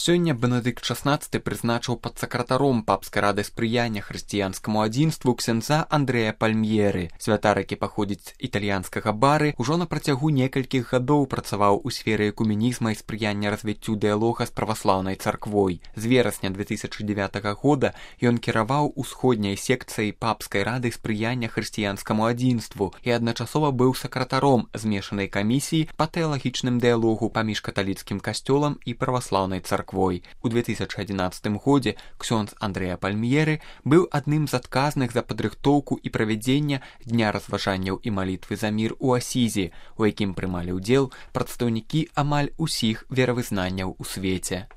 Сёння Бенедыкт XVI прызначыў падсакратаром папскай рады спрыяння хрысціянскаму адзінству ксяндза Андрэя Пальмьеры. Святар, які паходзіць з італьянскага Бары, ужо на працягу некалькіх гадоў працаваў у сферы экуменізма і спрыяння развіццю дыялога з праваслаўнай царквой. З верасня 2009 года ён кіраваў усходняй секцыяй папскай рады спрыяння хрысціянскаму адзінству і адначасова быў сакратаром змешанай камісіі па тэалагічным дыялогу паміж каталіцкім касцёлам і праваслаўнай царквой. У 2011 годзе ксёндз Андрэя Пальмьеры быў адным з адказных за падрыхтоўку і правядзення дня разважанняў і малітвы за мір у Асізе, у якім прымалі ўдзел прадстаўнікі амаль усіх веравызнанняў у свеце.